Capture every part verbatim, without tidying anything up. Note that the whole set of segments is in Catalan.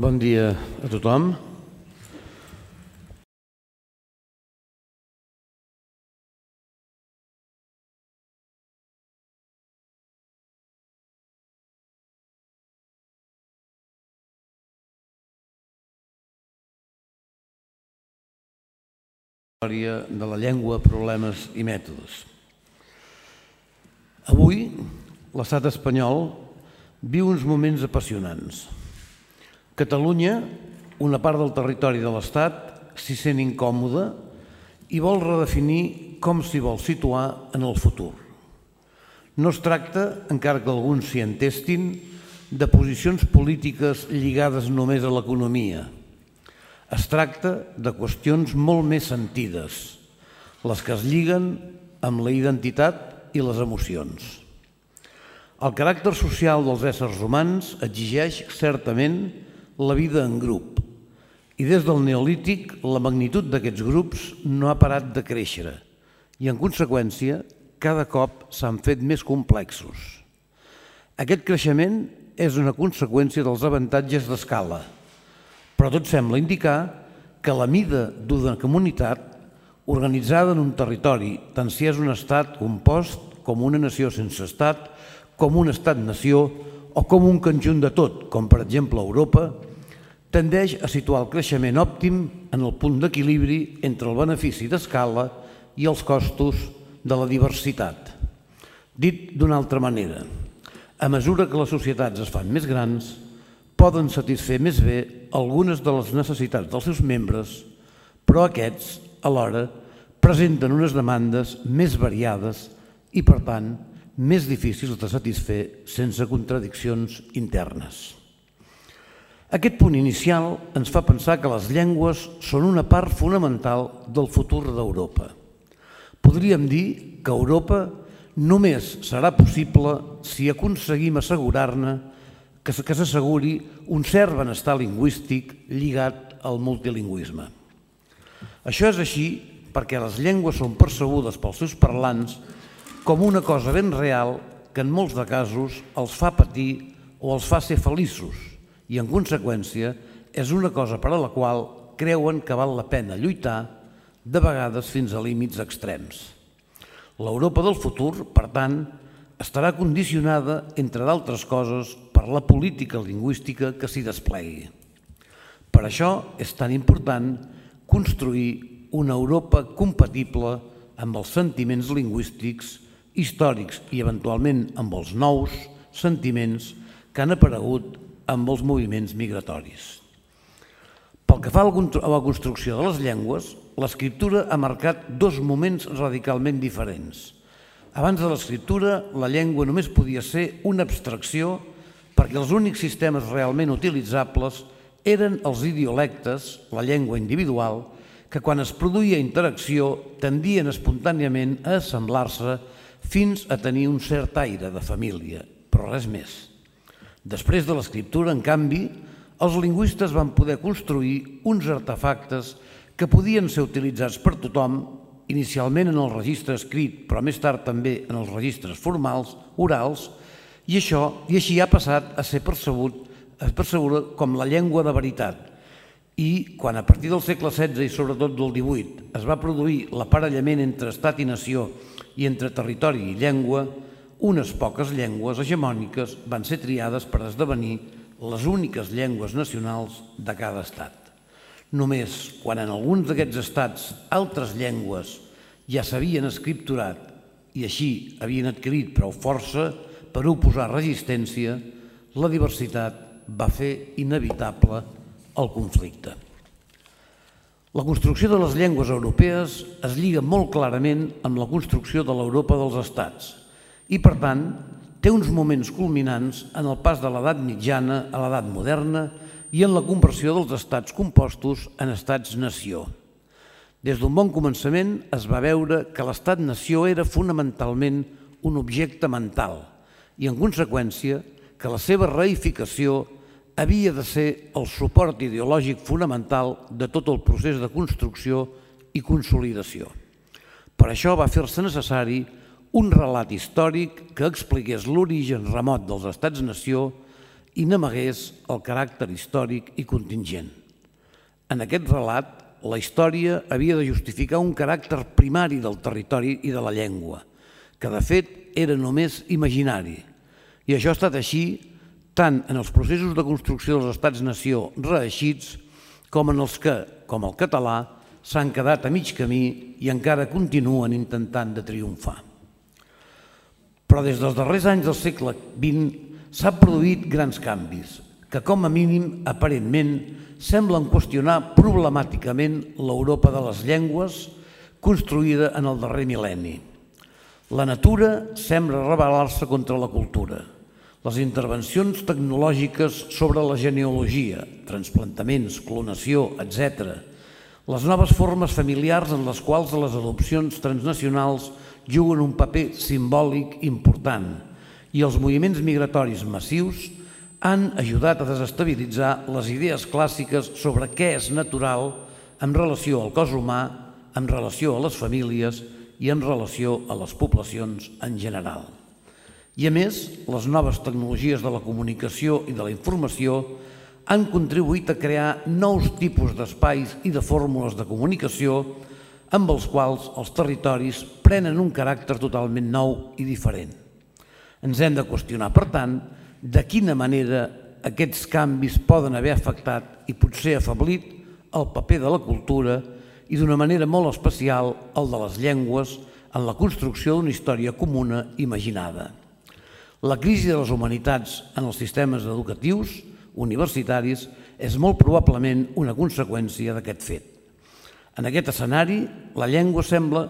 Bon dia a tothom. Història de la llengua, problemes i mètodes. Avui, l'estat espanyol viu uns moments apassionants. Catalunya, una part del territori de l'Estat, s'hi sent incòmoda i vol redefinir com s'hi vol situar en el futur. No es tracta, encara que alguns s'hi entestin, de posicions polítiques lligades només a l'economia. Es tracta de qüestions molt més sentides, les que es lliguen amb la identitat i les emocions. El caràcter social dels éssers humans exigeix certament la vida en grup, i des del Neolític la magnitud d'aquests grups no ha parat de créixer i, en conseqüència, cada cop s'han fet més complexos. Aquest creixement és una conseqüència dels avantatges d'escala, però tot sembla indicar que la mida d'una comunitat organitzada en un territori, tant si és un estat compost com una nació sense estat, com un estat-nació o com un conjunt de tot, com per exemple Europa, tendeix a situar el creixement òptim en el punt d'equilibri entre el benefici d'escala i els costos de la diversitat. Dit d'una altra manera, a mesura que les societats es fan més grans, poden satisfer més bé algunes de les necessitats dels seus membres, però aquests, alhora, presenten unes demandes més variades i, per tant, més difícils de satisfer sense contradiccions internes. Aquest punt inicial ens fa pensar que les llengües són una part fonamental del futur d'Europa. Podríem dir que Europa només serà possible si aconseguim assegurar-ne que s'asseguri un cert benestar lingüístic lligat al multilingüisme. Això és així perquè les llengües són percebudes pels seus parlants com una cosa ben real que en molts de casos els fa patir o els fa ser feliços i, en conseqüència, és una cosa per a la qual creuen que val la pena lluitar, de vegades fins a límits extrems. L'Europa del futur, per tant, estarà condicionada, entre d'altres coses, per la política lingüística que s'hi desplegui. Per això és tan important construir una Europa compatible amb els sentiments lingüístics, històrics i, eventualment, amb els nous sentiments que han aparegut amb els moviments migratoris. Pel que fa a la construcció de les llengües, l'escriptura ha marcat dos moments radicalment diferents. Abans de l'escriptura, la llengua només podia ser una abstracció perquè els únics sistemes realment utilitzables eren els idiolectes, la llengua individual, que quan es produïa interacció tendien espontàniament a assemblar-se fins a tenir un cert aire de família, però res més. Després de l'escriptura, en canvi, els lingüistes van poder construir uns artefactes que podien ser utilitzats per tothom, inicialment en el registre escrit, però més tard també en els registres formals, orals, i això i així ha passat a ser percebuda com la llengua de veritat. I quan a partir del segle setze i sobretot del divuit es va produir l'aparellament entre estat i nació i entre territori i llengua, unes poques llengües hegemòniques van ser triades per esdevenir les úniques llengües nacionals de cada estat. Només quan en alguns d'aquests estats altres llengües ja s'havien escripturat i així havien adquirit prou força per oposar resistència, la diversitat va fer inevitable el conflicte. La construcció de les llengües europees es lliga molt clarament amb la construcció de l'Europa dels estats i, per tant, té uns moments culminants en el pas de l'edat mitjana a l'edat moderna i en la conversió dels estats compostos en estats-nació. Des d'un bon començament es va veure que l'estat-nació era fonamentalment un objecte mental i, en conseqüència, que la seva reificació havia de ser el suport ideològic fonamental de tot el procés de construcció i consolidació. Per això va fer-se necessari un relat històric que expliqués l'origen remot dels estats-nació i n'amagués el caràcter històric i contingent. En aquest relat, la història havia de justificar un caràcter primari del territori i de la llengua, que de fet era només imaginari. I això ha estat així tant en els processos de construcció dels estats-nació reeixits com en els que, com el català, s'han quedat a mig camí i encara continuen intentant de triomfar. Però des dels darrers anys del segle vint s'han produït grans canvis que, com a mínim, aparentment, semblen qüestionar problemàticament l'Europa de les llengües construïda en el darrer mil·lenni. La natura sembla rebel·lar-se contra la cultura. Les intervencions tecnològiques sobre la genealogia, transplantaments, clonació, etcètera, les noves formes familiars en les quals les adopcions transnacionals juguen un paper simbòlic important i els moviments migratoris massius han ajudat a desestabilitzar les idees clàssiques sobre què és natural en relació al cos humà, en relació a les famílies i en relació a les poblacions en general. I a més, les noves tecnologies de la comunicació i de la informació han contribuït a crear nous tipus d'espais i de fórmules de comunicació amb els quals els territoris prenen un caràcter totalment nou i diferent. Ens hem de qüestionar, per tant, de quina manera aquests canvis poden haver afectat i potser afeblit el paper de la cultura i d'una manera molt especial el de les llengües en la construcció d'una història comuna imaginada. La crisi de les humanitats en els sistemes educatius, universitaris, és molt probablement una conseqüència d'aquest fet. En aquest escenari, la llengua sembla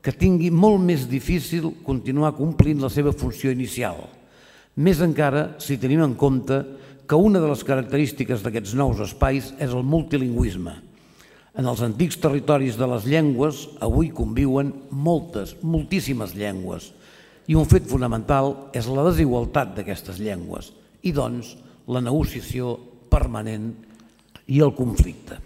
que tingui molt més difícil continuar complint la seva funció inicial, més encara si tenim en compte que una de les característiques d'aquests nous espais és el multilingüisme. En els antics territoris de les llengües avui conviuen moltes, moltíssimes llengües, i un fet fonamental és la desigualtat d'aquestes llengües i, doncs, la negociació permanent i el conflicte.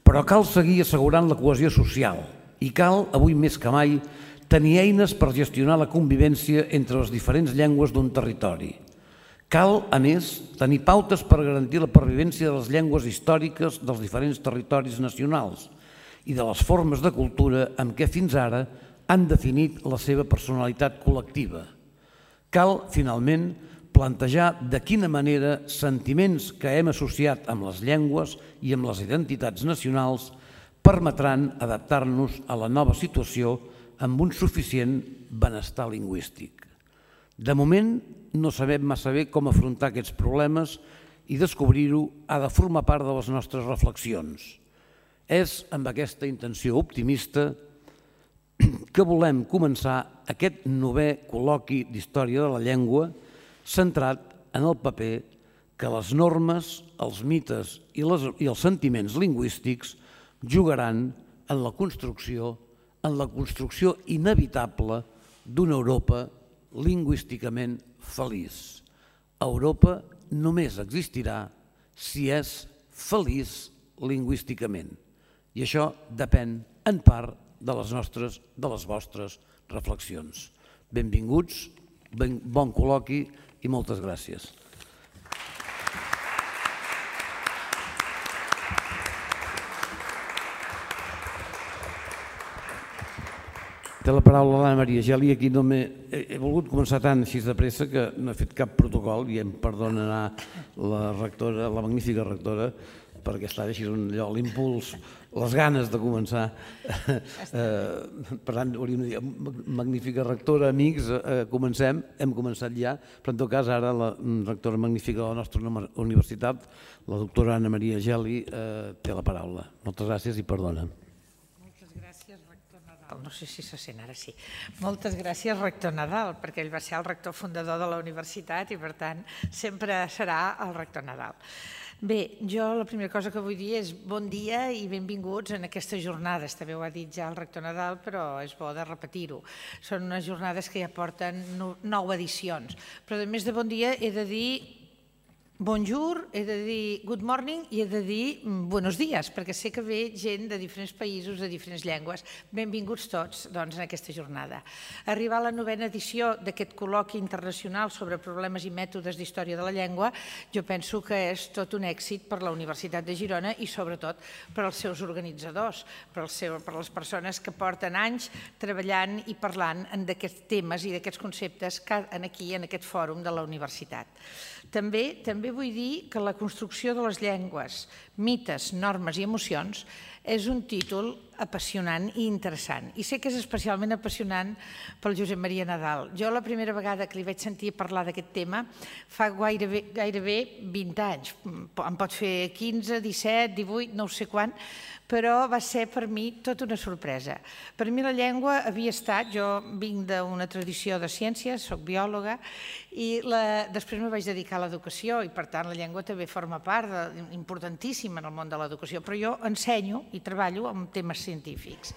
Però cal seguir assegurant la cohesió social i cal, avui més que mai, tenir eines per gestionar la convivència entre les diferents llengües d'un territori. Cal, a més, tenir pautes per garantir la pervivència de les llengües històriques dels diferents territoris nacionals i de les formes de cultura amb què fins ara han definit la seva personalitat col·lectiva. Cal, finalment, plantejar de quina manera sentiments que hem associat amb les llengües i amb les identitats nacionals permetran adaptar-nos a la nova situació amb un suficient benestar lingüístic. De moment, no sabem massa bé com afrontar aquests problemes i descobrir-ho ha de formar part de les nostres reflexions. És amb aquesta intenció optimista que volem començar aquest novè col·loqui d'història de la llengua centrat en el paper que les normes, els mites i els sentiments lingüístics jugaran en la construcció, en la construcció inevitable d'una Europa lingüísticament feliç. Europa només existirà si és feliç lingüísticament. I això depèn en part de les nostres, de les vostres reflexions. Benvinguts, bon col·loqui i moltes gràcies. Té la paraula l'Anna Maria Geli. Aquí no he volgut començar tant així de pressa que no he fet cap protocol i em perdonarà la rectora, la magnífica rectora, perquè estava així l'impuls, les ganes de començar. Per tant, hauríem de dir, magnífica rectora, amics, comencem, hem començat ja, però en tot cas ara la rectora magnífica de la nostra universitat, la doctora Anna Maria Geli, té la paraula. Moltes gràcies i perdona. No sé si se sent ara, sí. Moltes gràcies, rector Nadal, perquè ell va ser el rector fundador de la universitat i, per tant, sempre serà el rector Nadal. Bé, jo la primera cosa que vull dir és bon dia i benvinguts en aquestes jornades. També ho ha dit ja el rector Nadal, però és bo de repetir-ho. Són unes jornades que ja porten nou edicions. Però, a més de bon dia, he de dir bonjour, he de dir good morning i he de dir buenos días, perquè sé que ve gent de diferents països, de diferents llengües. Benvinguts tots doncs, en aquesta jornada. Arribar a la novena edició d'aquest col·loqui internacional sobre problemes i mètodes d'història de la llengua, jo penso que és tot un èxit per la Universitat de Girona i sobretot per als seus organitzadors, per, seu, per les persones que porten anys treballant i parlant d'aquests temes i d'aquests conceptes aquí, en aquest fòrum de la universitat. També, també vull dir que la construcció de les llengües, mites, normes i emocions és un títol apassionant i interessant. I sé que és especialment apassionant pel Josep Maria Nadal. Jo la primera vegada que li vaig sentir parlar d'aquest tema fa gairebé, gairebé vint anys. Em pot fer quinze, disset, divuit, no sé quan, però va ser per mi tota una sorpresa. Per mi la llengua havia estat, jo vinc d'una tradició de ciències, soc biòloga, i la, després me vaig dedicar a l'educació i per tant la llengua també forma part de, importantíssima en el món de l'educació, però jo ensenyo i treballo amb temes científics.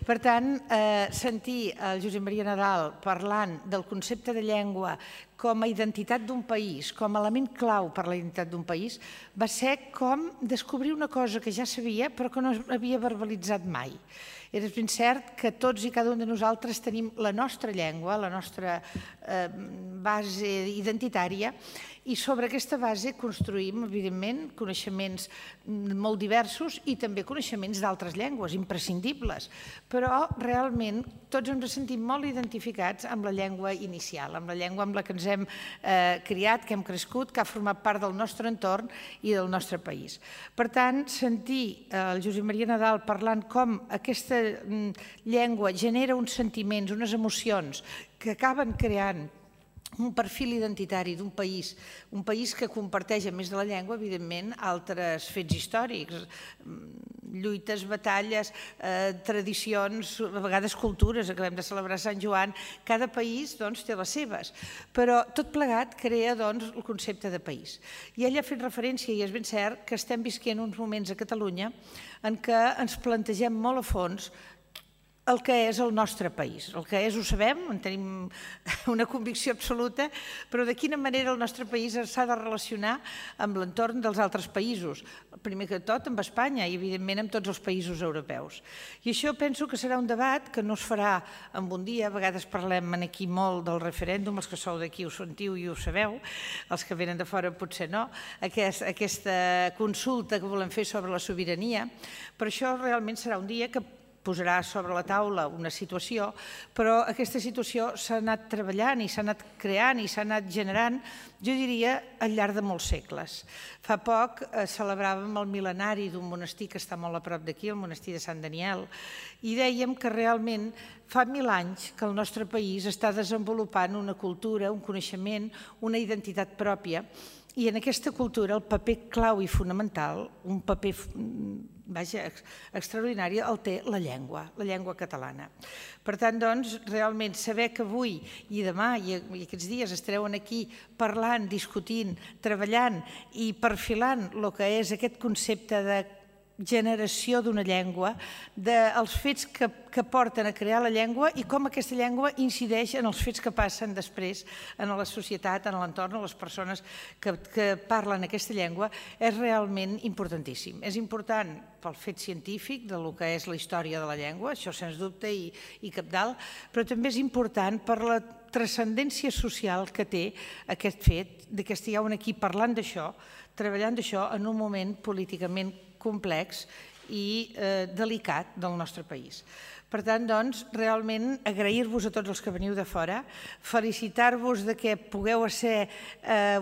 Per tant, eh, sentir el Josep Maria Nadal parlant del concepte de llengua com a identitat d'un país, com a element clau per a la identitat d'un país, va ser com descobrir una cosa que ja sabia però que no havia verbalitzat mai. És ben cert que tots i cada un de nosaltres tenim la nostra llengua, la nostra eh, base identitària, i sobre aquesta base construïm, evidentment, coneixements molt diversos i també coneixements d'altres llengües, imprescindibles. Però realment tots ens sentim molt identificats amb la llengua inicial, amb la llengua amb la que ens hem eh, criat, que hem crescut, que ha format part del nostre entorn i del nostre país. Per tant, sentir el Josep Maria Nadal parlant com aquesta llengua genera uns sentiments, unes emocions que acaben creant un perfil identitari d'un país, un país que comparteix, a més de la llengua, evidentment, altres fets històrics, lluites, batalles, eh, tradicions, a vegades cultures, acabem de celebrar Sant Joan, cada país doncs, té les seves, però tot plegat crea doncs, el concepte de país. I ell ha fet referència, i és ben cert, que estem visquent uns moments a Catalunya en què ens plantegem molt a fons el que és el nostre país. El que és ho sabem, en tenim una convicció absoluta, però de quina manera el nostre país s'ha de relacionar amb l'entorn dels altres països. Primer que tot amb Espanya i evidentment amb tots els països europeus. I això penso que serà un debat que no es farà en un dia, a vegades parlem aquí molt del referèndum, els que sou d'aquí ho sentiu i ho sabeu, els que venen de fora potser no, aquesta consulta que volem fer sobre la sobirania, però això realment serà un dia que posarà sobre la taula una situació, però aquesta situació s'ha anat treballant i s'ha anat creant i s'ha anat generant, jo diria, al llarg de molts segles. Fa poc celebràvem el mil·lenari d'un monestir que està molt a prop d'aquí, el monestir de Sant Daniel, i dèiem que realment fa mil anys que el nostre país està desenvolupant una cultura, un coneixement, una identitat pròpia, i en aquesta cultura el paper clau i fonamental, un paper vaja, extraordinari, el té la llengua, la llengua catalana. Per tant, doncs, realment saber que avui i demà i aquests dies estareu aquí parlant, discutint, treballant i perfilant el que és aquest concepte de generació d'una llengua, dels fets que porten a crear la llengua i com aquesta llengua incideix en els fets que passen després en la societat, en l'entorn, en les persones que parlen aquesta llengua, és realment importantíssim. És important pel fet científic del que és la història de la llengua, això sens dubte i cabdal, però també és important per la transcendència social que té aquest fet que estigueu aquí parlant d'això, treballant d'això en un moment políticament complex i delicat del nostre país. Per tant, doncs, realment agrair-vos a tots els que veniu de fora, felicitar-vos que pugueu ser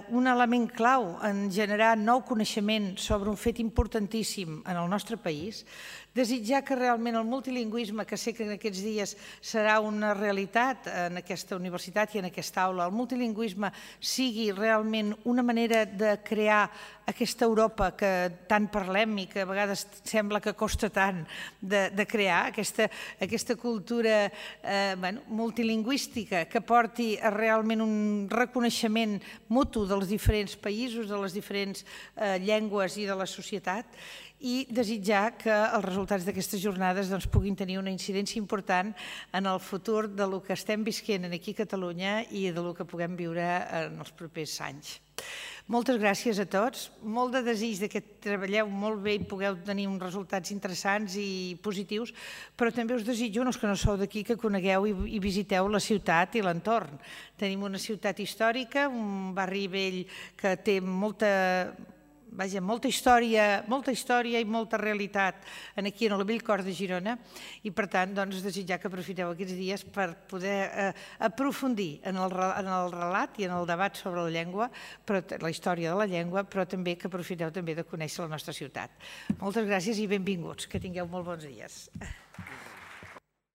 un element clau en generar nou coneixement sobre un fet importantíssim en el nostre país, desitjar que realment el multilingüisme, que sé que en aquests dies serà una realitat en aquesta universitat i en aquesta aula, el multilingüisme sigui realment una manera de crear aquesta Europa que tant parlem i que a vegades sembla que costa tant de crear, aquesta cultura multilingüística que porti a realment un reconeixement mutu dels diferents països, de les diferents llengües i de la societat, i desitjar que els resultats d'aquestes jornades puguin tenir una incidència important en el futur del que estem visquent aquí a Catalunya i del que puguem viure en els propers anys. Moltes gràcies a tots, molt de desig que treballeu molt bé i pugueu tenir uns resultats interessants i positius, però també us desitjo, els que no sou d'aquí, que conegueu i visiteu la ciutat i l'entorn. Tenim una ciutat històrica, un barri vell que té molta... Vaja, molta història, molta història i molta realitat aquí en el vell cor de Girona i per tant doncs desitjar que aprofiteu aquests dies per poder aprofundir en el relat i en el debat sobre la llengua, la història de la llengua, però també que aprofiteu també de conèixer la nostra ciutat. Moltes gràcies i benvinguts, que tingueu molt bons dies.